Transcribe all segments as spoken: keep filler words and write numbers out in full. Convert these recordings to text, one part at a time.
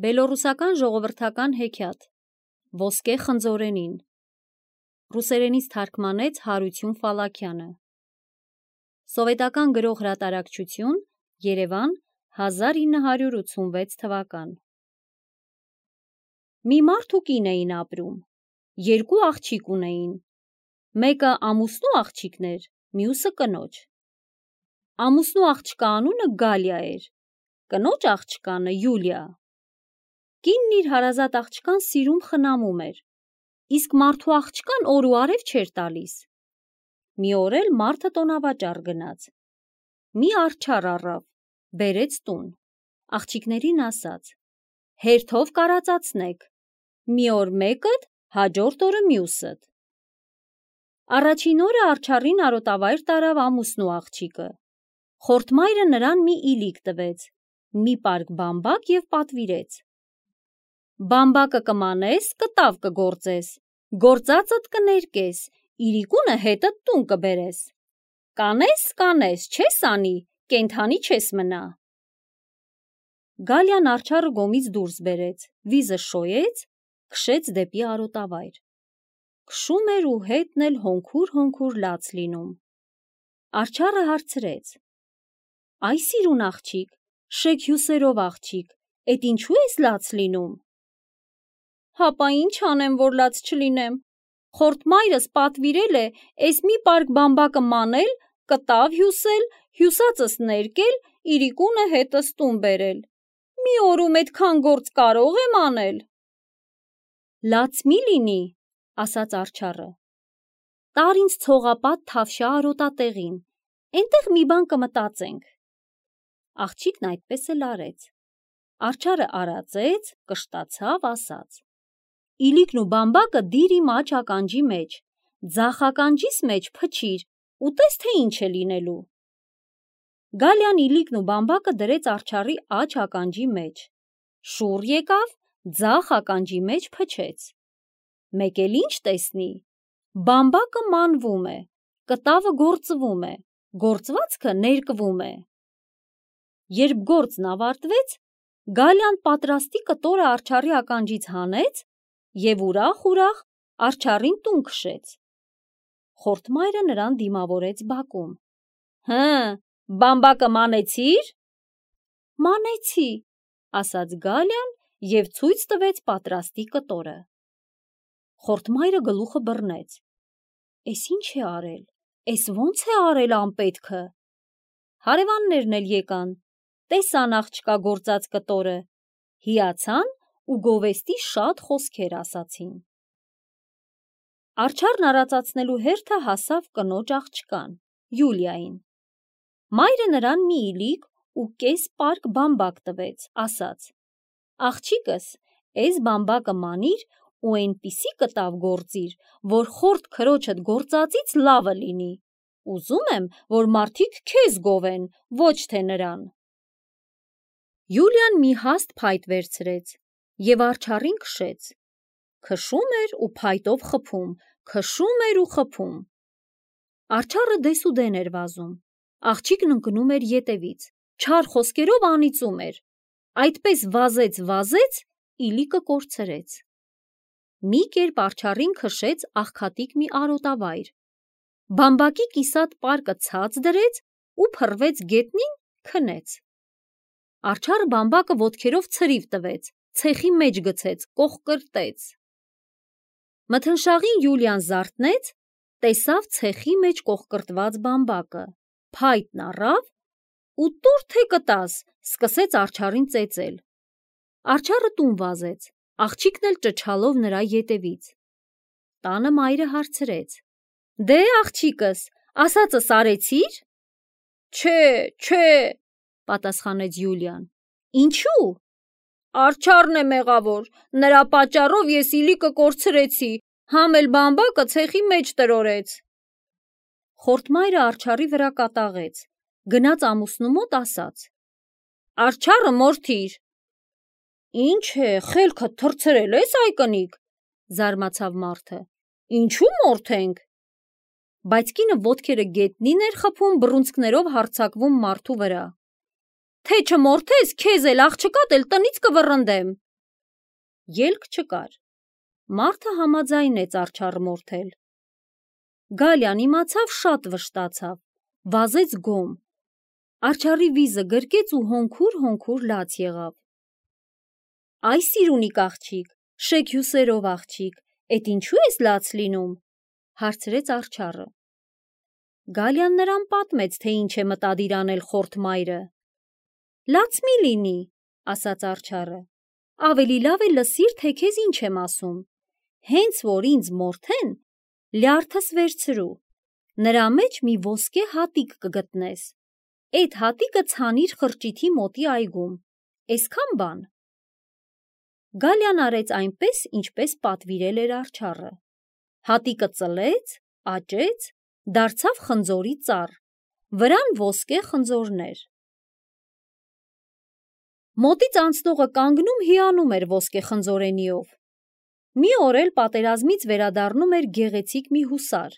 Բելոռուսական ժողովրդական հեքիաթ Ոսկե խնձորենին Ռուսերենից թարգմանեց Հարություն Ֆալաքյանը Սովետական գրող հրատարակչություն Երևան հազար ինը հարյուր ութսունվեց թվական Մի մարդ ու կին էին ապրում, երկու աղջիկ ունեին, մեկը ամուսնու աղջիկն էր, մյուսը կնոջ։ Ամուսնու աղջկա անունը Գալիա էր, կնոջ աղջկանը Յուլիա։ Կինն իր հարազատ աղջկան սիրում խնամում էր, իսկ մարդու աղջկան օր ու արև չէր տալիս։ Մի օր էլ մարդը տոնավաճառ գնաց, մի արջառ առավ, բերեց տուն, աղջիկներին ասաց. հերթով կարածացնեք, մի օր մեկդ, հաջորդ օրը մյուսդ։ Առաջին օրը արջառին արոտավայր տարավ ամուսնու աղջիկը, խորթմայրը նրան մի իլիկ տվեց, մի պարկ բամբակ և պատվիրեց. Բամբակը կմանես, կտավ կգործես, գործածդ կներկես, իրիկունը հետդ տուն կբերես, կանես, կանես, չես անի, կենդանի չես մնա։ Գալիան արջառը գոմից դուրս բերեց, վիզը շոյեց, քշեց դեպի արոտավայր, քշում էր ու հետն էլ հոնքուր-հոնքուր լաց լինում։ Արջառը հարցրեց. Այ սիրուն աղջիկ, շեկ հյուսերով աղջիկ, էդ ինչու ես լաց լինում։ Հապա ինչ անեմ, որ լաց չլինեմ, խորթմայրս պատվիրել է էս մի պարկ բամբակը մանել, կտավ հյուսել, հյուսածս ներկել, իրիկունը հետս տուն բերել, մի օրում էդքան գործ կարող եմ անել։ Լաց մի լինի, ասաց արջառը, տար ինձ ցողապատ թավշյա արոտատեղին, էնտեղ մի բան կմտածենք։ Աղջիկն այդպես էլ արեց, արջառը արածեց, կշտացավ, ասաց. Իլիկն ու բամբակը դիր իմ աջ ականջի մեջ, ձախ ականջիս մեջ փչիր, ու տես թե ինչ է լինելու։ Գալիան իլիկն ու բամբակը դրեց արջառի աջ ականջի մեջ, շուռ եկավ, ձախ ականջի մեջ փչեց։ Մեկ էլ ինչ տեսնի, բամբակը մանվում է, կտավը գործվում է, գործվածքը ներկվում է։ Երբ գործն ավարտվեց, Գալիան պատրաստի կտորը արջառի ականջից հանեց և ուրախ-ուրախ արջառին տուն քշեց։ Խորթմայրը նրան դիմավորեց բակում. Հը, բամբակը մանեցի՞ր։ Մանեցի, ասաց Գալիան և ցույց տվեց պատրաստի կտորը։ Խորթմայրը գլուխը բռնեց. Էս ինչ է արել, էս ո՞նց է արել անպետքը։ Հարևաններն էլ եկան, տեսան աղջկա գործած կտորը, հիացան ու գովեստի շատ խոսքեր ասացին։ Արջառն արածացնելու հերթը հասավ կնոջ աղջկան, Յուլիային։ Մայրը նրան մի իլիկ ու կես պարկ բամբակ տվեց, ասաց. Աղջիկս, էս բամբակը մանիր ու էնպիսի կտավ գործիր, որ խորթ քրոջդ գործածից լավը լինի, ուզում եմ, որ մարդիկ քեզ գովեն, ոչ թե նրան։ Յուլիան մի հաստ փայտ վերցրեց և արջառին քշեց, քշում էր ու փայտով խփում, քշում էր ու խփում։ Արջառը դեսուդեն էր վազում, աղջիկն ընկնում էր ետևից, չար խոսքերով անիծում էր, այդպես վազեց, վազեց, իլիկը կորցրեց։ Մի կերպ արջառին քշեց աղքատիկ մի արոտավայր, բամբակի կիսատ պարկը ցած դրեց ու փռվեց գետնին, քնեց։ Արջառը բամբակը ոտքերով ցրիվ տվեց, ցեխի մեջ գցեց, կողկրտեց։ Մթնշաղին Յուլիան զարթնեց, տեսավ ցեխի մեջ կողկրտված բամբակը, փայտն առավ ու տուր թե կտաս, սկսեց արջառին ծեծել։ Արջառը տուն վազեց, աղջիկն էլ ճչալով նրա ետևից։ Տանը մայրը հարցրեց. Դե աղջիկս, ասածս արեցի՞ր։ Չէ, չէ, պատասխանեց Յուլիան։ Ինչու։ Արջառն է մեղավոր, նրա պատճառով ես իլիկը կորցրեցի, համ էլ բամբակը ցեխի մեջ տրորեց։ Խորթմայրը արջառի վրա կատաղեց, գնաց ամուսնու մոտ ասաց. Արջառը մորթիր։ Ինչ է, խելքդ թռցրել ես այ կնիկ, զարմացավ մարդը, ինչու մորթենք։ Բայց կինը ոտքերը գետնին էր խփում, բռունցքներով հարձակվում մարդու վրա։ Թե չմորթես, քեզ էլ աղջկատ էլ տնից կվռնդեմ, ելք չկար։ Մարդը համաձայնեց արջառ մորթել։ Գալյան իմացավ, շատ վշտացավ, վազեց գոմ։ Արջառի վիզը գրկեց ու հոնքուր-հոնքուր լաց եղավ։ Այ սիրունիկ աղջիկ, շեկ հյուսերով աղջիկ, էդ ինչու ես լաց լինում, հարցրեց արջառը։ Գալյան նրան պատմեց, թե ինչ է մտադիր անել խորթ մայրը։ Լաց մի լինի, ասաց արջառը, ավելի լավ է լսիր, թե քեզ ինչ եմ ասում, հենց որ ինձ մորթեն, լյարդս վերցրու, նրա մեջ մի ոսկե հատիկ կգտնես, էդ հատիկը ցանիր խրճիթի մոտի այգում, էսքան բան։ Գալյան արեց այնպես, ինչպես պատվիրել էր արջառը։ Հատիկը ծլեց, աճեց, դարձավ խնձորի ծառ, վրան ոսկե խնձորներ։ Մոտից անցնողը կանգնում հիանում էր ոսկե խնձորենիով։ Մի օր էլ պատերազմից վերադառնում էր գեղեցիկ մի հուսար։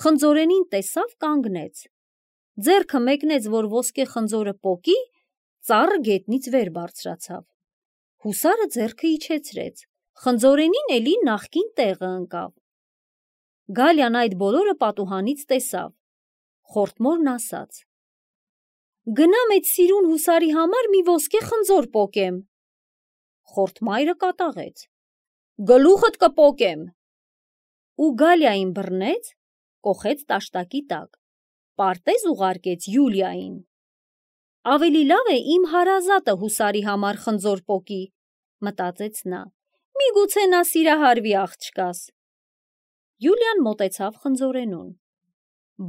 Խնձորենին տեսավ, կանգնեց։ Ձեռքը մեկնեց, որ ոսկե խնձորը պոկի, ծառը գետնից վեր բարձրացավ։ Հուսարը ձեռքը իջեցրեց, խնձորենին էլի նախկին տեղը ընկավ։ Գալյան այդ բոլորը պատուհանից տեսավ։ Խորթմորն ասաց. Գնամ էդ սիրուն հուսարի համար մի ոսկե խնձոր պոկեմ։ Խորթմայրը կատաղեց. Գլուխդ կպոկեմ։ Ու Գալյային բռնեց, կոխեց տաշտակի տակ, պարտեզ ուղարկեց Յուլիային։ Ավելի լավ է իմ հարազատը հուսարի համար խնձոր պոկի, մտածեց նա, միգուցե նա սիրահարվի աղջկաս։ Յուլիան մոտեցավ խնձորենուն,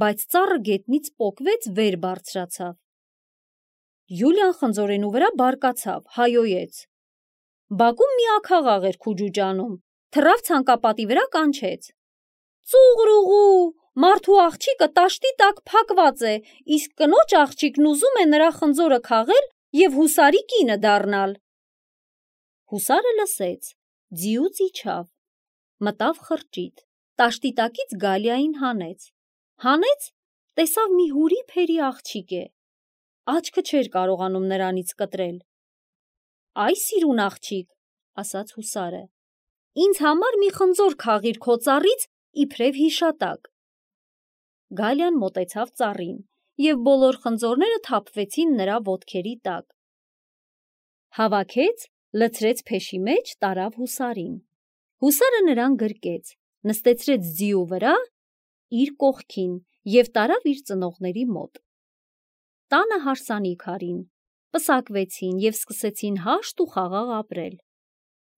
բայց ծառը գետնից պոկվեց, վեր բարձրացավ։ Յուլիան խնձորենու վրա բարկացավ, հայոյեց. Բակում մի աքաղաղ էր քուջուջանում, թռավ ցանկապատի վրա, կանչեց. Ծուղրուղու, մարդու աղջիկը տաշտի տակ փակված է, իսկ կնոջ աղջիկն ուզում է նրա խնձորը քաղել և հուսարի կինը դառնալ։ Հուսարը լսեց, ձիուց իջավ, մտավ խրճիթ, տաշտի տակից Գալյային հանեց։ Հանեց, տեսավ մի հուրի փերի աղջիկ է։ Աչքը չէր կարողանում նրանից կտրել։ Այ սիրուն աղջիկ, ասաց հուսարը, ինձ համար մի խնձոր քաղիր քո ծառից իբրև հիշատակ։ Գալյան մոտեցավ ծառին, և բոլոր խնձորները թափվեցին նրա ոտքերի տակ։ Հավաքեց, լցրեց փեշի մեջ, տարավ հուսարին։ Հուսարը նրան գրկեց, նստեցրեց ձիու վրա, իր կողքին և տարավ իր ծնողների մոտ։ Տանը հարսանիք արին, պսակվեցին և սկսեցին հաշտ ու խաղաղ ապրել։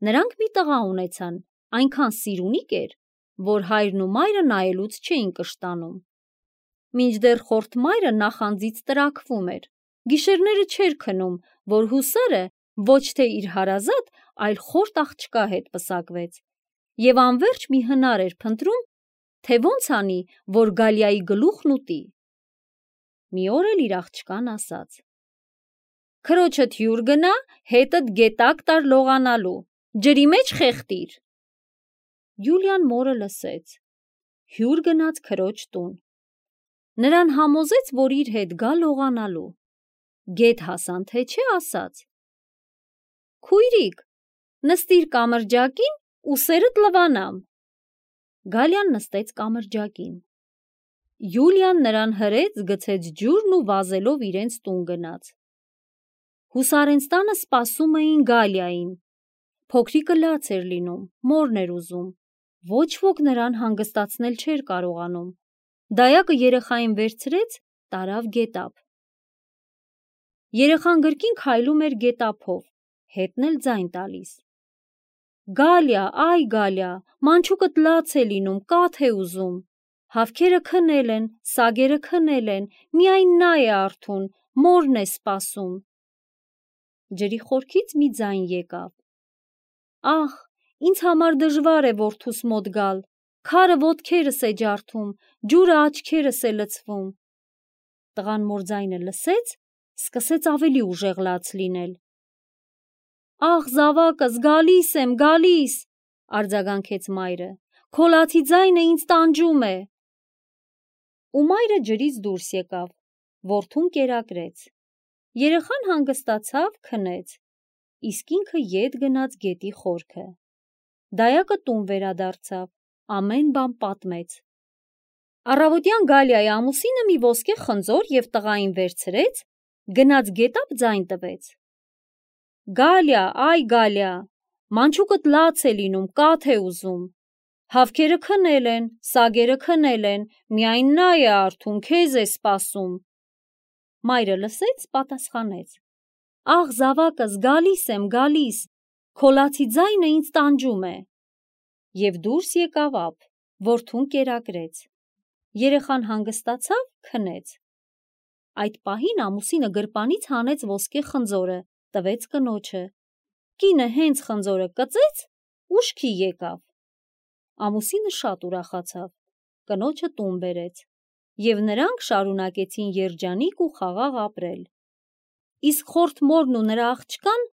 Նրանք մի տղա ունեցան, այնքան սիրունիկ էր, որ հայրն ու մայրը նայելուց չէին կշտանում։ Մինչդեռ խորթ մայրը նախանձից տրաքվում էր, գիշերները չէր քնում, որ հուսարը ոչ թե իր հարազատ, այլ խորթ աղջկա հետ պսակվեց, և անվերջ մի հնար էր փնտրում, թե ոնց անի, որ Գալյայի գլուխն ուտի։ Մի օր էլ իր աղջկան ասաց. Քրոջդ հյուր գնա, հետդ գետակ տար լողանալու, ջրի մեջ խեղդիր։ Յուլիան մորը լսեց, հյուր գնաց քրոջ տուն։ Նրան համոզեց, որ իր հետ գա լողանալու։ Գետ հասան, թե չէ, ասաց. Քույրիկ, նստիր կամրջակին, ուսերդ լվանամ։ Գալյան նստեց կամրջակին։ Յուլիան նրան հրեց, գցեց ջուրն ու վազելով իրենց տուն գնաց։ Հուսարենց տանը սպասում էին Գալյային։ Փոքրիկը լաց էր լինում, մորն էր ուզում, ոչ ոք նրան հանգստացնել չէր կարողանում։ Դայակը երեխային վերցրեց, տարավ գետափ։ Երեխան գրկին քայլում էր գետափով, հետն էլ ձայն տալիս։ Գալյա, այ Գալյա, մանչուկդ լաց է լինում, կաթ է ուզում։ Հավքերը քնել են, սագերը քնել են, միայն նա է արթուն, մորն է սպասում։ Ջրի խորքից մի ձայն եկավ. Ահ, ինձ համար դժվար է որդուս մոտ գալ, քարը ոտքերս է ջարդում, ջուրը աչքերս է լցվում։ Տղան մոր ձայնը լսեց, սկսեց ավելի ուժեղ լաց լինել։ Ահ, զավակս, գալիս եմ, գալիս, արձագանքեց մայրը, քո լացի ձայնը ինձ տանջում է։ Ու մայրը ջրից դուրս եկավ, որդուն կերակրեց։ Երեխան հանգստացավ, քնեց։ իսկ ինքը ետ գնաց գետի խորքը։ Դայակը տուն վերադարձավ, ամեն բան պատմեց։ Առավոտյան Գալիայի ամուսինը մի ոսկե խնձոր և տղային վերցրեց, գնաց գետափ ձայն տվեց. «Գալիա, այ Գալիա, մանչուկդ լաց է լինում, կաթ է ուզում, հավքերը քնել են, սագերը քնել են, միայն նա է արթուն, քեզ է սպասում»։ Մայրը լսեց, պատասխանեց. «Աղ զավակս, գալիս եմ, գալիս, քո լացի ձայնը ինձ տանջում է»։ Եվ դուրս եկավ ափ, որդուն կերակրեց։ Երեխան հանգստացավ, քնեց։ Այդ պահին ամուսինը գրպանից հանեց ոսկե խնձորը, տվեց կնոջը։ Կինը հենց խնձորը կծեց, ուշքի եկավ։ Ամուսինը շատ ուրախացավ, կնոջը տուն բերեց, և նրանք շարունակեցին երջանիկ ու խաղաղ ապրել։ Իսկ խորթ մորն ու նրա աղջկան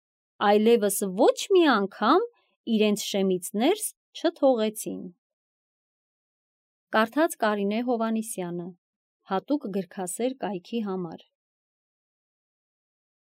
այլևս ոչ մի անգամ իրենց շեմից ներս չթողեցին։ Կարդաց Կարինե Հովհաննիսյանը, հատուկ գրքասեր կայքի համար։